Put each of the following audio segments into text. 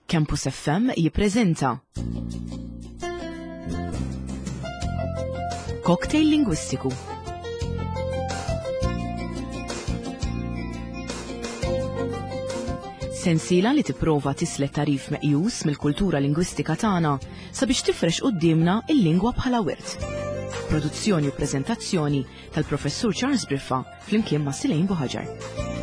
Campus FM jippreżenta Cocktail Lingwistiku. Sensiela li tipprova tislet tarif meqjus mill-kultura lingwistika tagħna sabiex tifrex quddiemna il-lingwa bħala wirt. Produzzjoni u preżentazzjoni tal-Professur Charles Briffa flimkien ma' Silejn Buħaġar.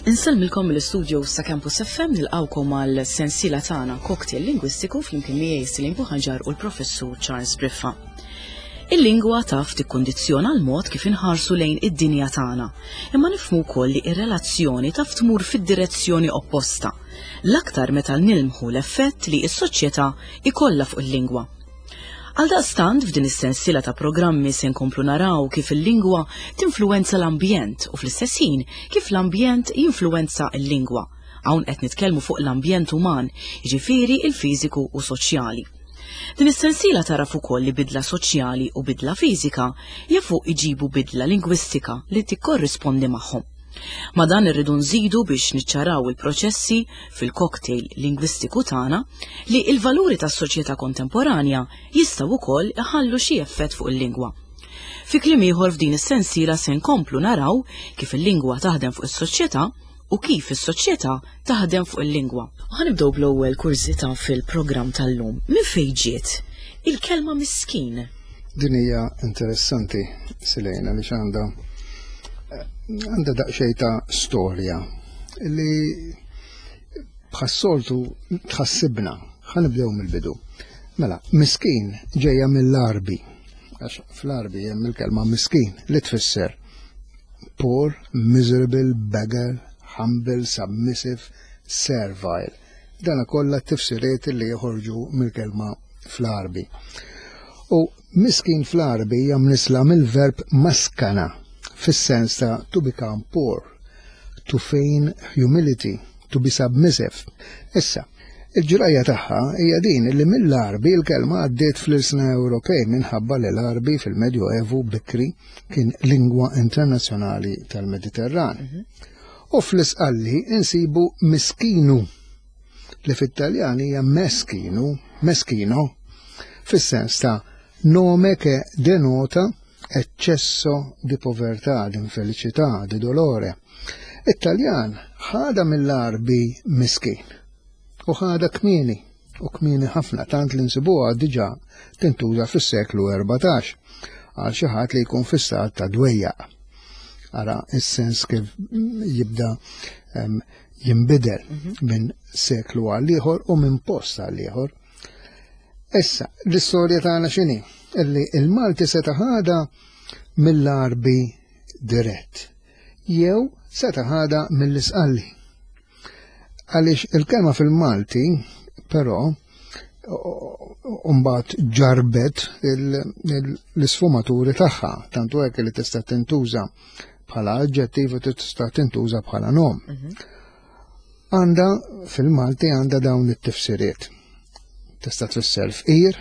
Insellmilkom mill-istudio sa' Campus FM nilqawkom għal sensiela tagħna Cocktail Lingwistiku flimkien miegħi Silejn Buħaġar u l-Professur Charles Briffa. Il-lingwa taf tikkundizzjona l-mod kif inħarsu lejn id-dinja tagħna, imma nifhmu wkoll li r-relazzjoni taf tmur fid-direzzjoni opposta, l-aktar meta nilmħu l-effett li s-soċjetà jkollha fuq il-lingwa. Għaldaqstant f'din is-sensiela ta' programmi se nkomplu naraw kif il-lingwa tinfluwenza l-ambjent u fl-istess ħin kif l-ambjent jinfluwenza l-lingwa. Hawn qed nitkellmu fuq l-ambjent uman, jiġifieri l-fiżiku u soċjali. Din is-sensiela tagħraf ukoll li bidla soċjali u bidla fiżika jafu iġibu bidla lingwistika li tikkorrispondi magħhom. Ma' dan irridu nżidu biex niċċaraw il-proċessi fil-cocktail lingwistiku tagħna li l-valuri tas-soċjetà kontemporanja jistgħu wkoll iħallu xi effett fuq il-lingwa. Fi kliem ieħor f'din is-sensiela se nkomplu naraw kif il-lingwa taħdem fuq is-soċjetà u kif is-soċjetà taħdem fuq il-lingwa. U ħanibdew bl-ewwel kurżità fil-programm tal-lum. Minn fejn ġiet il-kelma miskin? Din hija interessanti Silejna li għandha għandha daqsxejn ta' storja li bħas-soltu tħassibna. Ħanibdew mill-bidu. Mela, miskin ġejja mill-Arbi, għax fl-Arbi hemm il-kelma miskin li tfisser poor, miserable, beggar, humble, submissive, servile. Dana kollha tifsiriet li joħorġu mill-kelma fl-Arbi. U miskin fl-Arbi hija mnisla mill-verb maskana fis-sens ta' to become poor, to feign humility, to be submissive. Issa, il-ġrajja tagħha hija din li mill-Arbi l-kelma għaddiet fl-ilsna Ewropej minħabba li l-Arbi fil-Medjoevu bikri kien lingwa internazzjonali tal-Mediterran. Mhm. U fl-isqalli insibu miskinu li fit-Taljan hija meskinu, meschino, fis-sens ta' nome che denota eccesso di povertà, di infelicità, di dolore. It-Taljan ħada mill-Arbi miskin u ħada kmieni u kmieni ħafna tant li nsibuha diġà tintuża fis-seklu 14 għal xi ħadd li jkun fi stat ta' dwejjaq. Ara is-sens kif jibda jinbidel mhm. minn seklu għal ieħor u minn post għal ieħor. Issa, l-istorja tagħna x'inhi? Illi il-Malti seta' ħada mill-Arbi dirett jew seta' ħada mill-Isqalli. Għaliex il-kelma fil-Malti, però, mbagħad ġarbet l-isfumaturi tagħha, tantu hekk li tista' tintuża bħala aġġettiv u tista' tintuża bħala nom. Mhm. Għanda fil-Malti għandha dawn it-tifsiriet. Tista' tfisser fqir,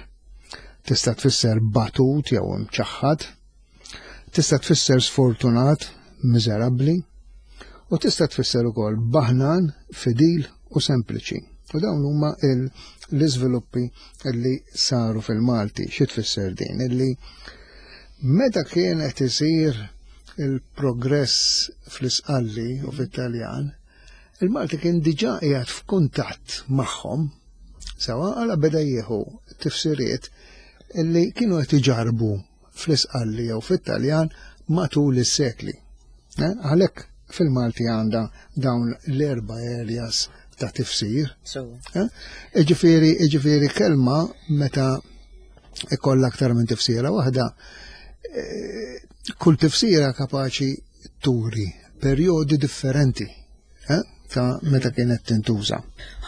tista' tfisser batut jew imċaħħad, Tista' tfisser sfortunat, miżerabbli, u tista' tfisser ukoll baħnan, fidil u sempliċi. U dawn huma l-iżviluppi li saru fil-Malti. Xi tfisser din? Illi meta kien qed isir il-progress fl-Isqalli u fit-Taljan, il-Malti kien diġà qiegħed f'kuntatt magħhom, sewa għala beda jieħu tifsiriet illi kienu qed iġarbu fl-Isqalli jew fit-Taljan matul is-sekli. Eh, għalhekk fil-Malti għandha dawn l-erba' areas ta' tifsir. Eh, iġifieri, iġifieri kelma meta ikollha aktar minn tifsira waħda, eh, kull tifsira kapaċi turi perjodi differenti eh, ta' meta kienet tintuża.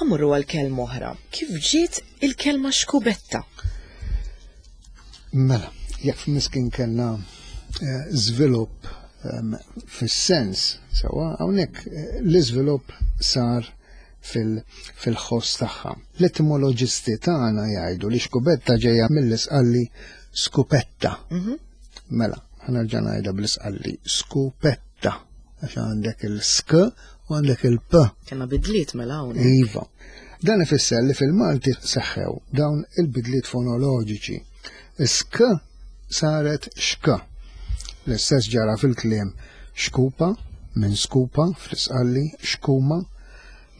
Ħamurru għal kelma oħra. Kif ġiet il-kelma xkubetta? Mela, jekk f'miskin kellna eh, żvilupp ehm, fis-sens, sewa hawnhekk eh, l-iżvilupp sar fil-ħoss tagħha. L-etimoloġisti tagħna jgħidu li xkubetta ġejja mill-isqalli skupetta. Mhm. Mela, ħanerġa' ngħidha bl-isqalli skupetta għax għandek il-sk u għandek il-p. Kena bidliet mela hawn. Iva. Dan ifisser li fil-Malti seħħew dawn il-bidliet fonoloġiċi. Sk saret xk. L-istess ġara fil-kliem xkupa minn skupa fl-isqalli, xkuma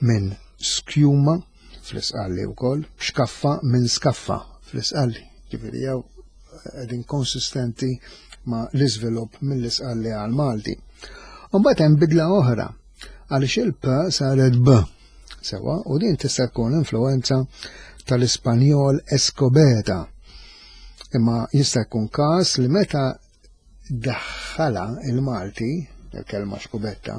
minn skjuma fl-isqalli wkoll, xkaffa minn skaffa fl-isqalli. Ġifieri jew qegħdin konsistenti ma' l-iżvilupp mill-isqalli għal Malti. Mbagħad hemm bidla oħra għaliex il-P saret B. Sewa, u din tista' tkun influenza tal-Ispanjol Escobeta. Imma jista' jkun każ li meta daħħala il-Malti, il-kelma xkubetta,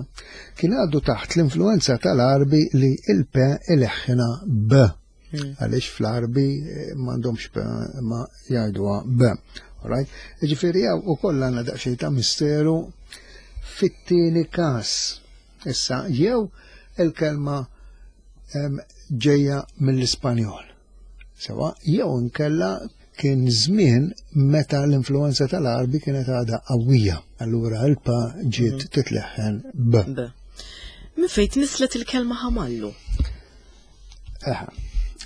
kien għaddu taħt l-influenza tal-Arbi li il-P ileħħina B. Hmm. Għaliex fl-Arbi eh, m'għandhomx P ma jgħiduha B. Alright? Ġifieri hawn ukoll għandna daqsxejn ta' misteru fit-tieni każ. Issa jew il-kelma ġejja mill-Ispanjol. Sewa, jew inkella kien żmien meta l-influenza tal-Arbi kienet għadha qawwija. Allura l-pa ġiet mhm. titleħħen b. B. Min fejn tnislet il-kelma ħamallu? Eħa,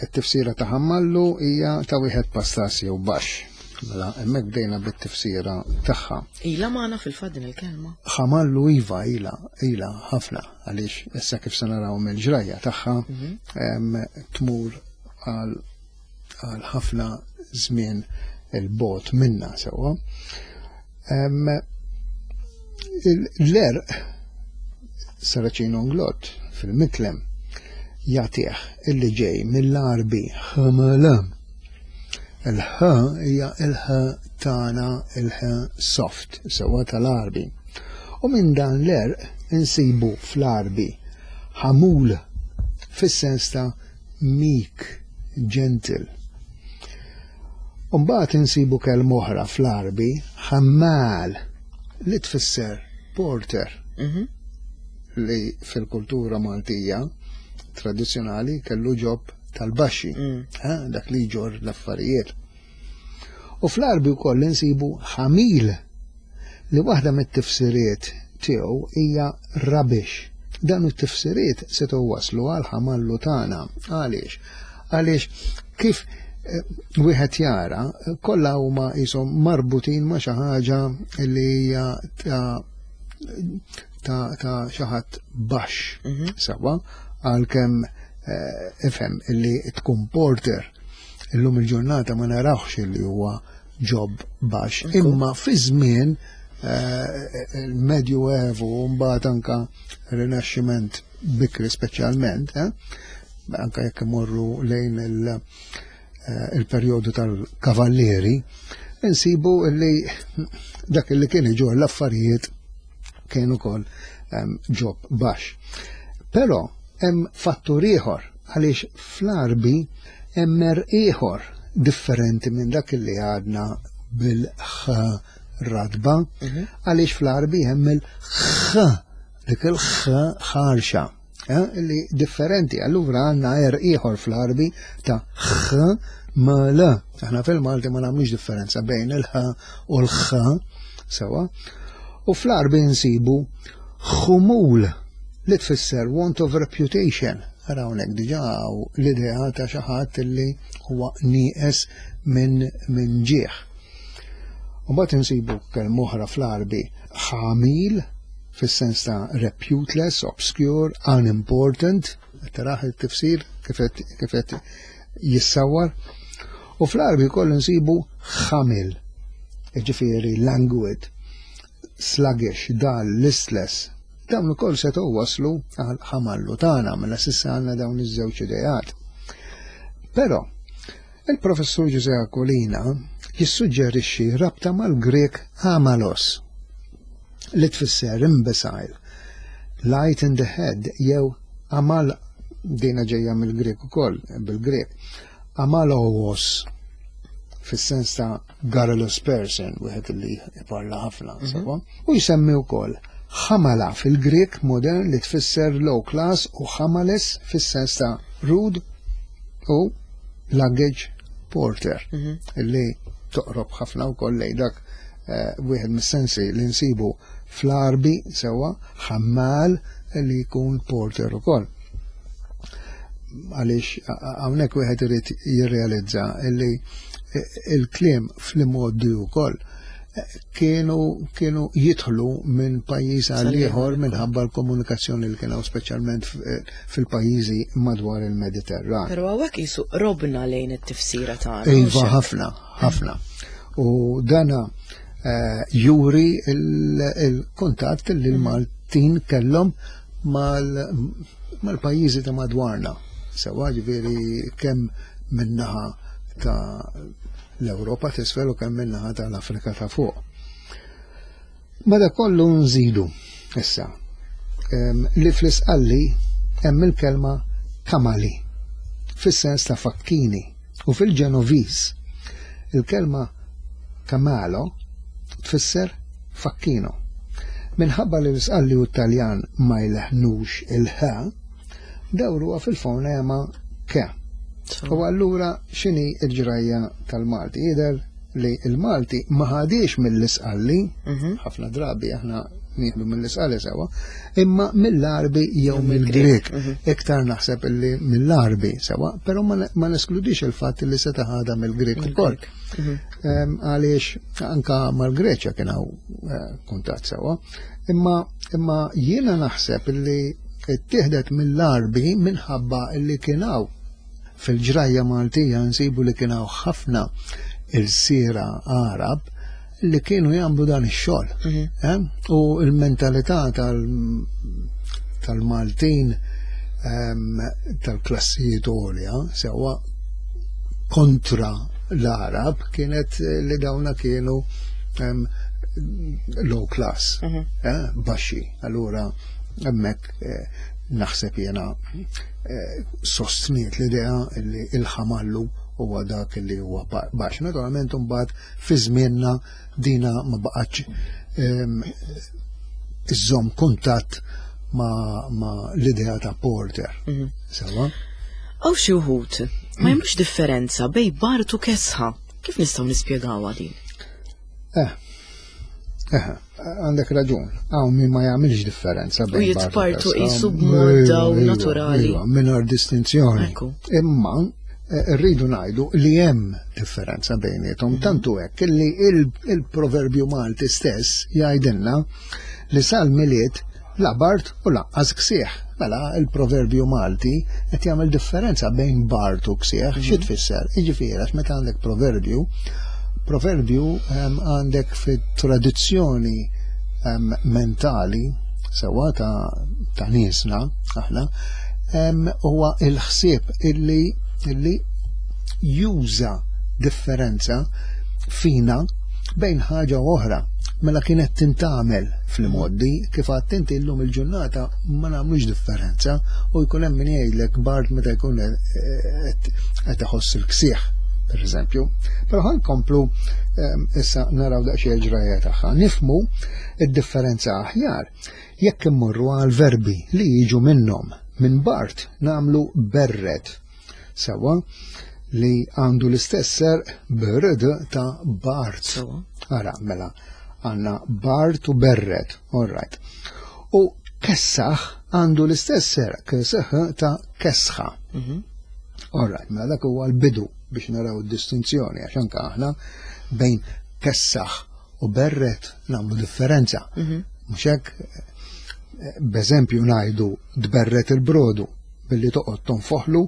it-tifsira ta' ħamallu hija ta' wieħed pastas jew baxx. Mela, hemmhekk bdejna bit-tifsira tagħha. Ila magħna fil-fatt din il-kelma. Ħamallu iva ila, ila ħafna għaliex issa kif se naraw mill-ġrajja tagħha mhm. tmur għal ħafna żmien il-bot minna sewwa. L-erq Saracino Nglott fil-Mitlem jagħtih illi ġej mill-Arbi ħml. Il-ħ hija il-ħ tagħna il-ħ soft sewwa tal-Arbi. U minn dan l-erq insibu fl-Arbi ħamul fis-sens ta' meek, gentle. U mbagħad insibu kelma oħra fl-Għarbi, ħammal, li tfisser porter. Mhm. Li fil-kultura Maltija tradizzjonali kellu ġob tal-baxxi, mm. eh, dak li jġor l-affarijiet. U fl-Għarbi wkoll insibu ħamil li waħda mit-tifsiriet tiegħu hija rubbish. Dan it-tifsiriet setgħu waslu għal ħamallu tagħna. Għaliex? Għaliex kif eh, wieħed jara kollha huma qishom marbutin ma' xi ħaġa li hija ta' ta' ta' xi ħadd baxx mhm. sewwa għalkemm eh, ifhem illi tkun porter Illum il-ġurnata ma narawx li huwa ġob baxx, imma fi żmien eh, il-Medju Evu u mbagħad anka Rinaxximent bikri speċjalment, eh, anka jekk imorru lejn eh, il-perjodu tal-kavallieri, insibu li dak li kien iġor l-affarijiet kien ukoll ġob baxx. Però hemm fattur ieħor għaliex fl-Għarbi hemm merq ieħor differenti minn dak li għadna bil-ħ ratba, mhm. għaliex fl-Għarbi hemm il-ħ, dik il-ħ ħarxa, eh, li differenti. Allura għandna er ieħor fl-Għarbi ta' ħ ma l. Aħna fil-Malti ma nagħmlux differenza bejn il-ħ u l-ħ sewa. U fl-Għarbi nsibu ħumul li tfisser want of reputation. Ara hawnhekk diġà l-idea ta' xi ħadd li huwa nieqes minn min ġieħ. U mbagħad insibu kelma oħra fl-Għarbi ħamil fis-sens ta' reputeless, obscure, unimportant, taraħ it-tifsir kif qed jissawwar. U fl-Għarbi wkoll insibu ħamil, jiġifieri languid, sluggish, dull, listless. Dawn ukoll setgħu waslu għal ħamallu tagħna mela s'issa għandna dawn iż-żewġ ideat. Però il-professur Ġużè Aquilina jissuġġerixxi rabta mal-Grek amalos li tfisser imbecile, light in the head jew amal dina ġejja mill-Grek ukoll bil-Grek amalowos fis-sens ta' garrulous person, wieħed li jparla ħafna, mhm. sewwa, u jsemmi wkoll Ħamala fil-Grieg modern li tfisser low class u ħamales fis-sens ta' rude u luggage porter illi toqrob ħafna wkoll lejn dak eh, wieħed mis-sensi li nsibu fl-Arbi sewwa ħammal li jkun porter ukoll. Għaliex hawnhekk wieħed irid jirrealizza illi eh, il-kliem fl-imgħoddi wkoll kienu kienu jidħlu minn pajjiż għal ieħor minħabba l-komunikazzjoni li kien hawn speċjalment fil-pajjiżi madwar il-Mediterran. Però hawnhekk qisu qrobna lejn it-tifsira tagħna. Iva ħafna, ħafna. U dana eh, juri il-kuntatt li l-Maltin kellhom mal-pajjiżi ta' madwarna. Sewa ġifieri kemm minnaħa ta' l-Ewropa t'isfel u kemm min-naħa tal-Afrika ta' fuq. Mada kollu nżidu issa li fl-isqalli hemm il-kelma kamali fis-sens ta' fakkini u fil-Ġenoviż il-kelma kamalo tfisser fakkino. Minħabba li l-isqalli u t-Taljan ma jleħnux il-ħ, dawruha fil-fonema ke. U allura x'inhi l-ġrajja tal-Malti? Jidher li l-Malti ma ħadiex mill-Isqalli, mhm. ħafna drabi aħna nieħdu mill-Isqalli sewa, imma mill-Arbi jew mill-Grek. Mhm. Iktar naħseb illi mill-Arbi sewa, però ma neskludix il-fatt li seta' ħadha mill-Grek ukoll. Mhm. Għaliex anka mal-Greċja kien hawn eh, kuntatt sewa. Imma imma jiena naħseb illi ttieħdet mill-Għarbi minħabba li kien hawn fil-ġrajja Maltija nsibu li kien hawn ħafna ilsiera Għarab li kienu jagħmlu dan ix-xogħol. Mhm. Eh? U l-mentalità tal-Maltin ehm, tal-klassijiet għolja sewwa kontra l-Arab kienet li dawna kienu ehm, low class, mhm. eh, baxxi. Allura hemmhekk eh, naħseb jiena eh, sostniet l-idea li il-ħamallu huwa dak li huwa baxx. Naturalment imbagħad fi żmienna dina ma baqgħetx ehm, iżżomm kuntatt ma, ma l-idea ta' Porter. Mhm. Sewa? Għaw xi wħud ma jagħmlux differenza bej Bart u Kesħa. Kif nistgħu nispjegawha din? Eh, eh, għandek raġun. Hawn min ma jagħmilx differenza bejn. U jitpartu qisu b'mod daw iva, naturali. Iva, mingħajr distinzjoni. Imma eh, rridu ngħidu li hemm differenza bejniethom mhm. tantu hekk li il-proverbju Malti stess jgħidilna li sal-Milied la bard u lanqas ksieħ. Mela il-proverbju Malti qed jagħmel differenza bejn bard u ksieħ, xi mhm. tfisser? Jiġifieri għax meta għandek proverbju, proverbju ehm, għandek fit-tradizzjoni ehm, mentali sewwa ta', ta niesna aħna ehm, huwa il-ħsieb illi illi juża differenza fina bejn ħaġa u oħra. Mela kienet tintgħamel fl-imgħoddi, kif għedt inti llum il-ġurnata ma nagħmlux differenza u jkun hemm min jgħidlek bard meta jkun qed iħoss il-ksieħ, pereżempju. Però ħa nkomplu ehm, issa naraw daqsxejn il-ġrajja tagħha. Nifmu id-differenza aħjar jekk immorru għal verbi li jiġu minnhom. Minn bart nagħmlu berred Sewwa, li għandu l-istess serq brd ta' Bart. Ara, mela, għanna Bart u Berret, all right. U kessaħ għandu l-istess serq keseħ ta' kesħa. Mhm. All right, mela dak huwa l-bidu biex naraw id-distinzjoni għax anke aħna bejn kessaħ u berret nagħmlu differenza. Mhm. Mhux hekk b'eżempju ngħidu tberret il-brodu billi toqgħod tonfoħlu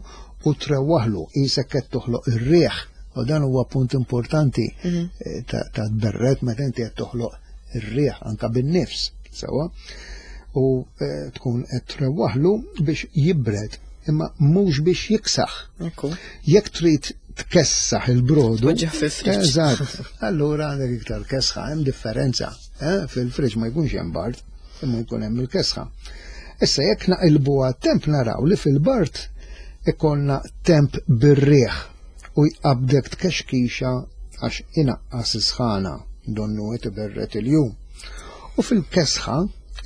u trewwaħlu qisek qed toħloq ir-riħ u dan huwa punt importanti mhm. eh, ta' tberret meta inti qed toħloq ir-riħ anka bin-nifs sewwa u eh, tkun qed trewwaħlu biex jibred imma mhux biex jiksaħ. Jekk trid tkessaħ il-brodu. Eżatt. Allura għandek iktar kesħa, hemm differenza. Eh? Fil-friġ ma jkunx hemm bard, imma jkun hemm il-kesħa. Issa jekk naqilbu għat-temp naraw li fil-bard ikollna temp bir-riħ u jqabdek tkexkixa għax inaqqas is-sħana donnu qed iberred il-jum. U fil-kesħa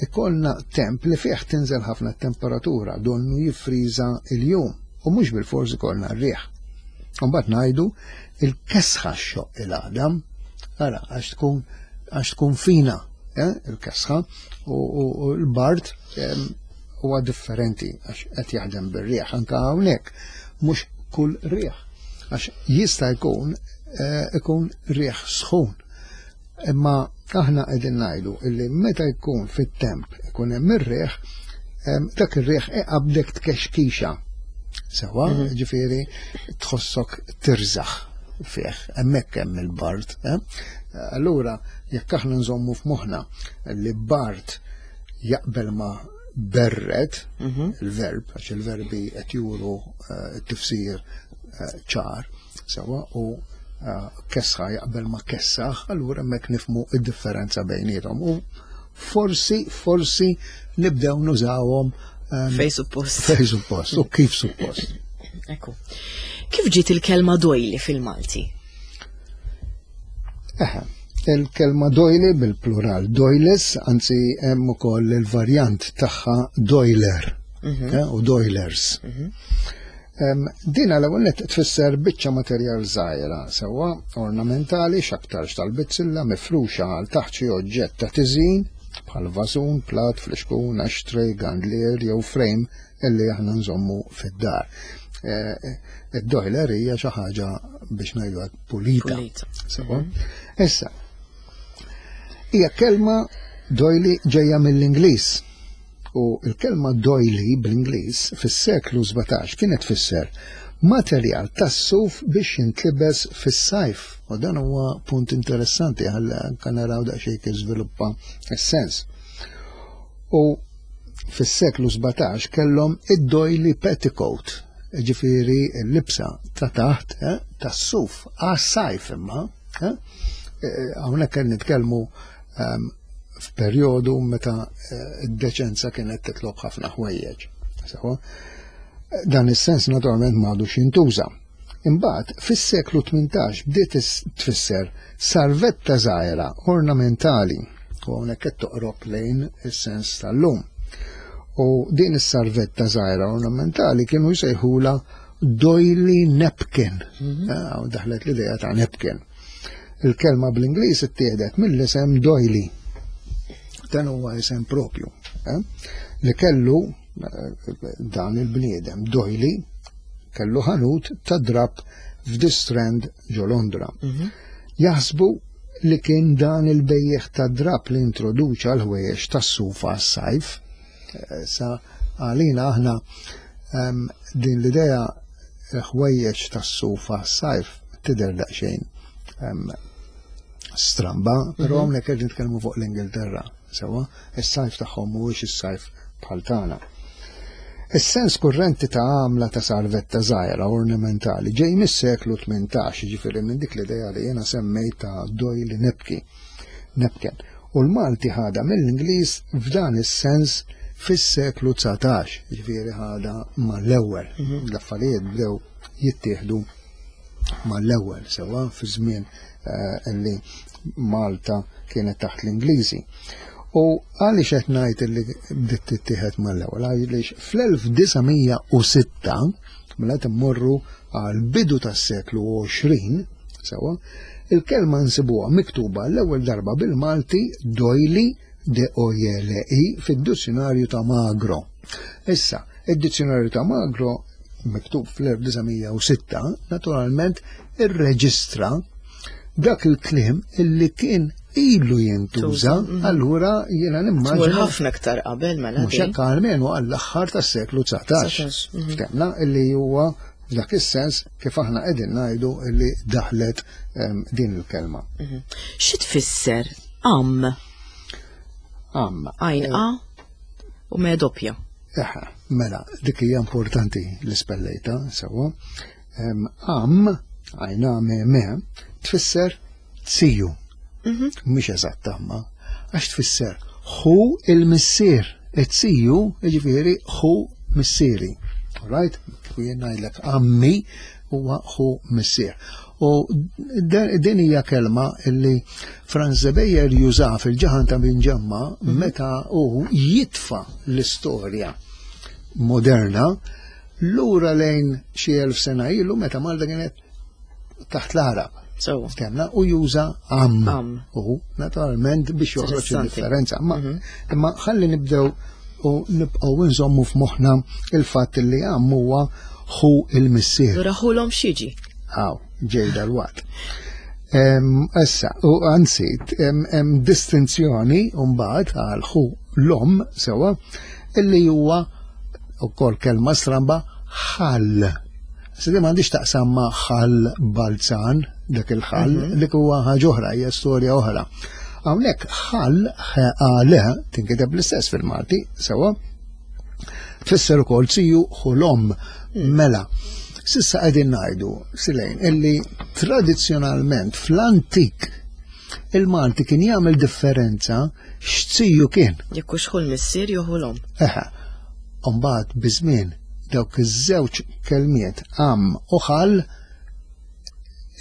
Ikollna temp li fih tinżel ħafna temperatura, donnu jiffriża il-jum u mhux bil-fors ikollna r-riħ. Mbagħad ngħidu il-kesħa xoq il-għadam, ara għax tkun għax tkun fina eh, il-kesħa u l-bard huwa differenti għax qed jaħdem bir-riħ anke hawnhekk mhux kull riħ għax jista' jkun eh, ikun riħ sħun. Imma aħna qegħdin ngħidu illi meta jkun fit-temp ikun hemm ir-riħ, dak ir-riħ iqabdek tkexkixa. Sewa, mhm. ġifieri tħossok tirżaħ fih, hemmhekk hemm il-bard. Eh? Allura, jekk aħna nżommu f'moħħna li bard jaqbel ma berred, mhm. il-verb, għax il-verbi qed juru eh, t-tifsir eh, ċar, Sewa u eh, kesħa jaqbel ma kessaħ, allura hemmhekk nifmu id-differenza bejniethom. U forsi, forsi nibdew nużawhom ehm, fej suppost. Fej suppost, u kif suppost. Ekku. Kif ġiet il-kelma dojli fil-Malti? Eħe, il-kelma dojli bil-plural doiles, anzi hemm ukoll il-varjant tagħha doiler mm -hmm. u doilers. Mm -hmm. Din l-ewwel nett tfisser biċċa materjal żgħira, sewwa ornamentali x'aktarx tal-bizzilla mifruxa għal taħt xi oġġett ta' tiżjin bħal vasun, plat, flixkun, ashtray, gandlier jew frame illi aħna nżommu fid-dar. Eh, id-doiler hija xi ħaġa biex ngħidu hekk pulita. Sewwa. Mhm. Issa, hija kelma doily ġejja mill-Ingliż U l-kelma doily bl-Ingliż fis-seklu 17 kienet tfisser materjal tas-suf biex jintlibes fis-sajf. U dan huwa punt interessanti għal anke naraw daqsxejn kif żviluppa s-sens. U fis-seklu 17 kellhom id-doily petticoat, ġifieri l-libsa ta' taħt eh, tas-suf għas-sajf imma. Eh, eh, hawnhekk qed nitkellmu ehm, f'perjodu meta eh, d-deċenza kienet titlob ħafna ħwejjeġ. Sewa, dan is-sens naturalment m'għadux jintuża. Imbagħad fis-seklu 18 bdiet tfisser sarvetta żgħira ornamentali u hawnhekk qed toqrob lejn is-sens tal-lum. U din is-sarvetta żgħira ornamentali kienu jsejħula doily napkin. Mm -hmm. Daħlet l-idea ta' napkin. Il-kelma bl-Ingliż ittieħdet mill-isem Doily. Dan huwa isem propju eh? li kellu eh, dan il-bniedem Doily kellu ħanut ta' drab f'The Strand ġo Londra. Mhm. Jaħsbu li kien dan il-bejjeħ ta' drab li introduċa l-ħwejjeġ tas-sufa s-sajf. Eh, sa għalina aħna ehm, din l-idea ħwejjeġ tas-sufa s-sajf tidher daqsxejn ehm, stramba, però mhm. hawnhekk qed nitkellmu fuq l-Ingilterra, sewwa, is-sajf tagħhom mhuwiex is-sajf bħal tagħna. Is-sens kurrenti ta' għamla ta' sarvetta żgħira ornamentali ġej mis-seklu 18, ġifieri minn dik l-idea li jiena semmejt ta' Doyle Nepki. Nepken. U l-Malti ħadha mill-Ingliż f'dan is-sens fis-seklu 19, ġifieri ħadha mal-ewwel. Mhm. L-affarijiet bdew jittieħdu mal-ewwel sewwa fi żmien eh, li Malta kienet taħt l-Ingliżi. U għaliex qed ngħid li bdiet tittieħed mal-ewwel għaliex fl-1906 mela immorru għal bidu tas-seklu 20 sewwa il-kelma nsibuha miktuba l-ewwel darba bil-Malti doili d o j l i fid-dizzjonarju ta' Magro. Issa, id-dizzjonarju ta' Magro miktub fl-1906 naturalment irreġistra dak il-kliem illi kien ilu jintuża, mhm. allura jiena nimmaġina. ħafna aktar qabel mela. Mhux hekk almenu għall-aħħar tas-seklu 19. Mhm. Ftemna illi huwa f'dak is-sens kif aħna qegħdin ngħidu illi daħlet ehm, din il-kelma. Mhm. Xi tfisser am? Am. Għajn a u me doppja. Eħe, mela, dik hija importanti li spellejta, sewwa. Am, għajna me me, tfisser tiju. Mhm. Mhix eżatt amma, għax tfisser hu il-missier, it-tiju, jiġifieri hu missieri. Right? Kif jien ngħidlek ammi huwa hu missier. U din hija kelma li Franz Zebejer juża fil-ġaħan ta' Binġemma mhm. meta hu jitfa l-istorja moderna lura lejn xi elf sena ilu meta Malta kienet taħt l-Arab. Temna u juża am. U naturalment biex joħroġ il-differenza. Ma mhm. imma ħalli nibdew u nibqgħu nżommu f'moħħna il-fatt li am huwa ħu il-missier. Lura ħulhom xiġi. Aw, ġej dal-waqt. Issa, u anzi, hemm distinzjoni mbagħad għal ħu l-om sewa illi huwa ukoll kelma stramba ħall. Se di m'għandix taqsam ma' ħall balzan, dak il-ħall, mhm. dik huwa ħaġa oħra, hija storja oħra. Hawnhekk ħall ħale tinkiteb l-istess fil-Malti, sewa, tfisser ukoll ziju ħulom hmm. mela. Sissa qegħdin ngħidu, Silejn, illi tradizzjonalment fl-antik il-Malti kien jagħmel differenza x'ziju kien. Jekk hux ħu l-missier jew ħu l-omm. Eħe. Mbagħad biż-żmien dawk iż-żewġ kelmiet am u ħal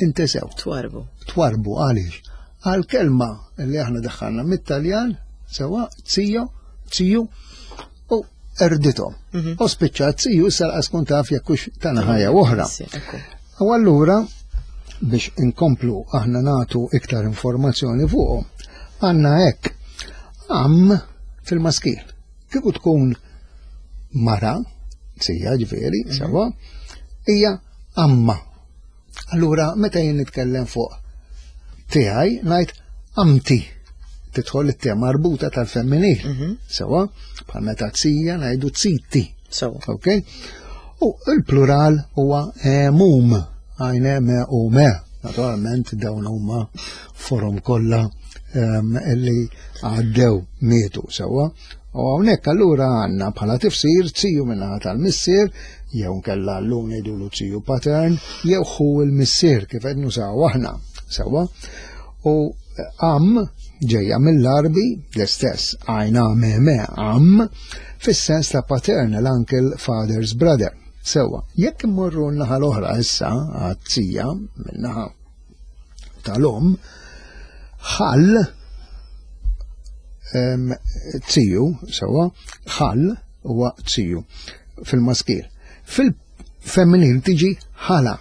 intesew. Twarbu. Twarbu għaliex? Għal kelma li aħna daħħalna mit-Taljan sewa zio, ziju u erdithom. Mhm. U spiċċat ziju issa laqas tkun taf jekk hux ta' ħajja oħra. U allura biex inkomplu aħna natu iktar informazzjoni fuqhom, għandna hekk am fil-maskil. Kieku tkun mara, sija ġifieri, mhm. sewa, hija amma. Allura meta jien nitkellem fuq tiegħi ngħid amti tidħol it-te marbuta tal-femminil. Mhm. Sewa, bħal meta tsija ngħidu tsiti. Sewa. Ok? U il-plural huwa emum, għajne me u me. Naturalment dawn huma forom kollha ehm, li għaddew mietu sewa. U hawnhekk allura għandna bħala tifsir ziju minnaħa tal-missier, jew nkella llum ngħidulu ziju patern, jew ħu l-missier kif qed nużaw aħna sewwa. U am ġejja mill-Arbi l-istess għajna me am fis-sens ta' paternal uncle father's brother. Sewwa, jekk immorru n-naħa l-oħra issa għat-tija min-naħa tal-om ħall tiju, sewa, ħall huwa tiju fil-maskil. Fil-femminil tiġi ħala.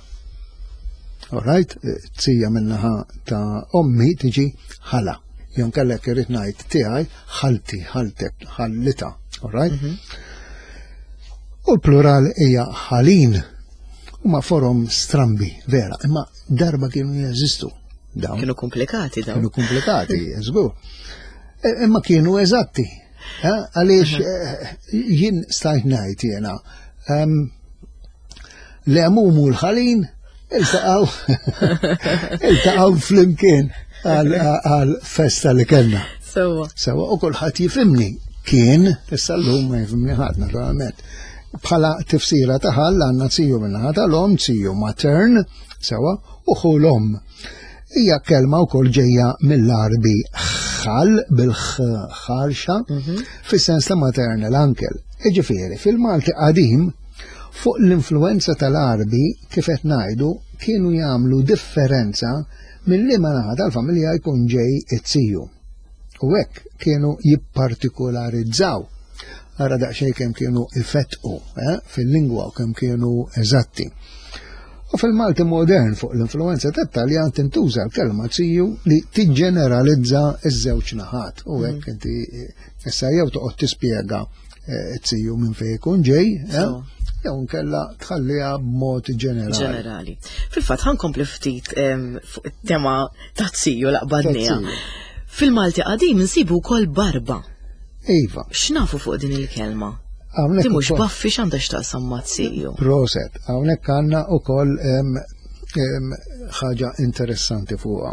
Alright, tija minnaħa ta' ommi tiġi ħala. Jon kellek irrid ngħid tiegħi ħalti, ħaltek, ħallita. Alright? Mm -hmm. U l-plural hija ħalin. Huma forom strambi, vera, imma darba kienu jeżistu. Dawn. Kienu komplikati dawn. Kienu komplikati, żgur. E, imma kienu eżatti. Eh, għaliex eh, jien stajt ngħid jiena ehm, l-għemum u l-ħalin iltaqgħu iltaqgħu flimkien għal festa li kellna. Sewa. Sewa u kulħadd jifhimni kien, issa llum ma jifhimni ħadd naturalment. Bħala tifsira ta' ħall għandna ziju minnaħa tal-om, ziju matern, sewa, u ħu l-om. Hija kelma wkoll ġejja mill-Arbi ħal bil-ħarxa mhm. fis-sens ta' maternal uncle. Iġifieri, fil-Malti qadim fuq l-influenza tal-Arbi kif qed ngħidu kienu jagħmlu differenza minn liema naħa tal-familja jkun ġej it-ziju. U hekk kienu jippartikularizzaw. Ara daqsxejn kemm kienu ifettqu eh, fil-lingwa u kemm kienu eżatti. U fil-Malti modern fuq l-influenza tat-Taljan tintuża l-kelma ziju li tiġġeneralizza ż-żewġ naħat. U hekk mm. inti issa jew toqgħod tispjega eh, ziju minn fejn ikun ġej, eh, jew nkella tħalliha b'mod ġenerali. Ġenerali. Fil-fatt ħankompli ftit fuq it-tema ta' ziju laqbadnija. Fil-Malti qadim insibu wkoll barba. Iva. X'nafu fuq din il-kelma? Di mhux baffi x'għandha x'taqsam ma' ziju. Proset, hawnhekk għandna wkoll ħaġa interessanti fuqha.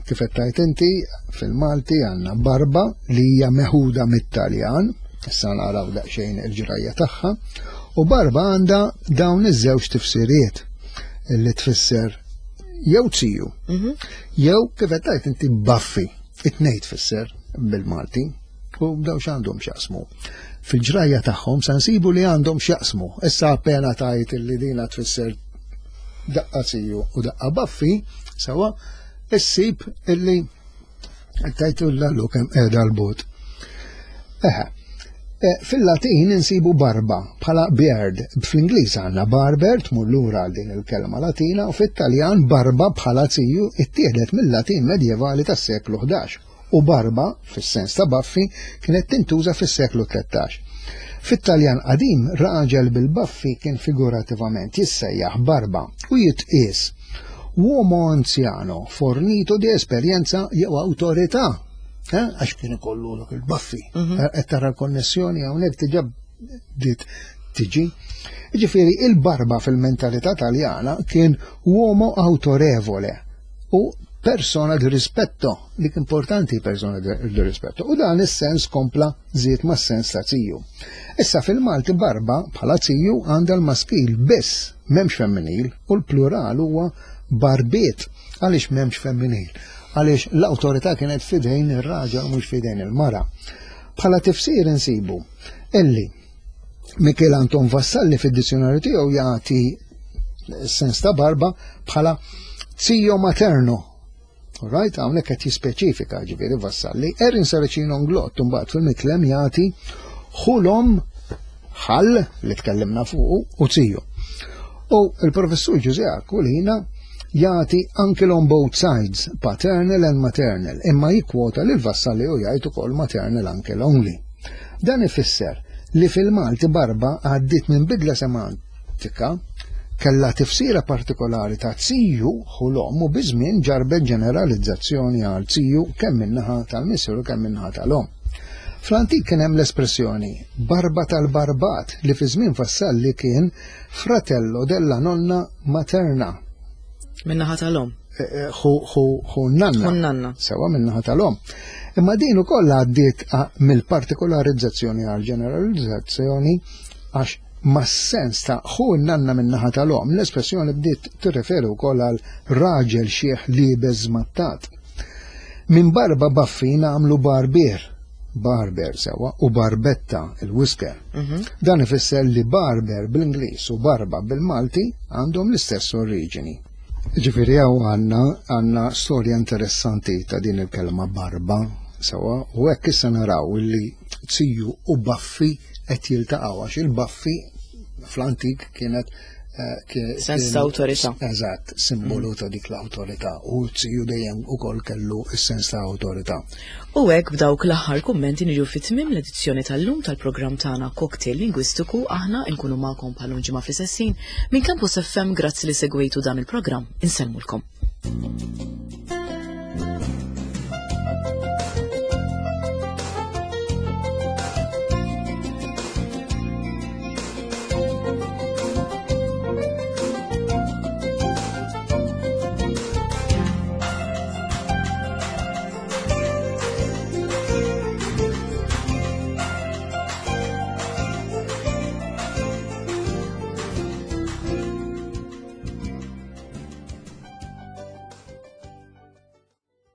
Kif qed tgħid inti, fil-Malti għandna barba li hija meħuda mit-Taljan, issa naraw daqsxejn il-ġrajja tagħha, u barba għandha dawn iż-żewġ tifsiriet li tfisser jew ziju, mhm. jew kif qed tgħid inti baffi. It-tnejn tfisser bil-Malti u daw x'għandhom x'jaqsmu. Fil-ġrajja tagħhom sa nsibu li għandhom x'jaqsmu. Issa appena tajt li dina tfisser daqqa ziju u daqqa baffi, sewa, issib illi tajtu l-lallu kemm qiegħda l-bot. Eħe, e, Fil-Latin insibu barba bħala beard, fl-Ingliż għandna barber tmur lura għal din il-kelma Latina u fit-Taljan barba bħala ziju ittieħdet mill-Latin medjevali tas-seklu 11 u barba, fis-sens ta' baffi, kienet tintuża fis-seklu 13. Fit-Taljan qadim, raġel bil-baffi kien figurativament jissejjaħ barba u jitqies uomo anziano fornito di esperjenza jew awtorità. Eh, għax kien ikollu dak il-baffi. Mhm. Eh, qed tara l-konnessjoni hawnhekk diġà bdiet tiġi. Ġifieri il-barba fil-mentalità taljana kien uomo autorevole u persona di rispetto, dik importanti persona di rispetto. U dan is-sens kompla żied ma' sens ta' ziju. Issa fil-Malti barba bħala ziju għandha l-maskil biss, m'hemmx femminil, u l-plural huwa barbiet. Għaliex m'hemmx femminil? Għaliex l-awtorità kienet fidejn ir-raġel u mhux fidejn il-mara. Bħala tifsir insibu illi Michel Anton Vassalli fid-dizzjonarju tiegħu jagħti sens ta' barba bħala zio materno. Right, hawnhekk qed jispeċifika ġifieri Vassalli. Erin Saracino Nglott mbagħad fil-mitlem jagħti ħulhom ħall li tkellimna fuq u zio. U il-professur Ġużè Aquilina jagħti uncle on both sides, paternal and maternal, imma jikkwota lil Vassalli u jgħid ukoll maternal uncle only. Dan ifisser li fil-Malti barba għaddiet minn bidla semantika kellha tifsira partikolari ta' ziju ħu l-omm u biż-żmien ġarbet ġeneralizzazzjoni għal ziju kemm min-naħa tal-missier u kemm min-naħa tal-omm. Fl-antik kien hemm l-espressjoni barba tal-barbat li fi żmien Vassalli kien fratello della nonna materna. Min-naħa tal-omm. Eh, eh, ħu nanna. Ħu nanna. Sewa min-naħa tal-omm. Imma din ukoll għaddiet mill-partikolarizzazzjoni għal ġeneralizzazzjoni għax mas-sens ta' ħu nanna min-naħa tal-omm, l-espressjoni bdiet tirreferi wkoll għal raġel xieħ liebes żmattat. Minn barba baffi nagħmlu barbier, barber sewa, u barbetta, il-whisker. Mhm. Dan ifisser li barber bl-Ingliż u barba bil-Malti għandhom l-istess oriġini. Ġifieri hawn għandna għandna storja interessanti ta' din il-kelma barba sewa u hekk issa naraw li ziju u baffi qed jiltaqgħu għax il-baffi fl-antik kienet Eh, sens ta' awtorità. Eżatt, simbolu ta' dik l-awtorità u ziju dejjem ukoll kellu s-sens ta' awtorità. U hekk b'dawk l-aħħar kummenti niġu fi tmiem l-edizzjoni tal-lum tal-programm tagħna Cocktail Lingwistiku aħna nkunu magħkom bħal ġimgħa fl-istessin minn Campus FM grazzi li segwejtu dan il-programm. Insellmulkom.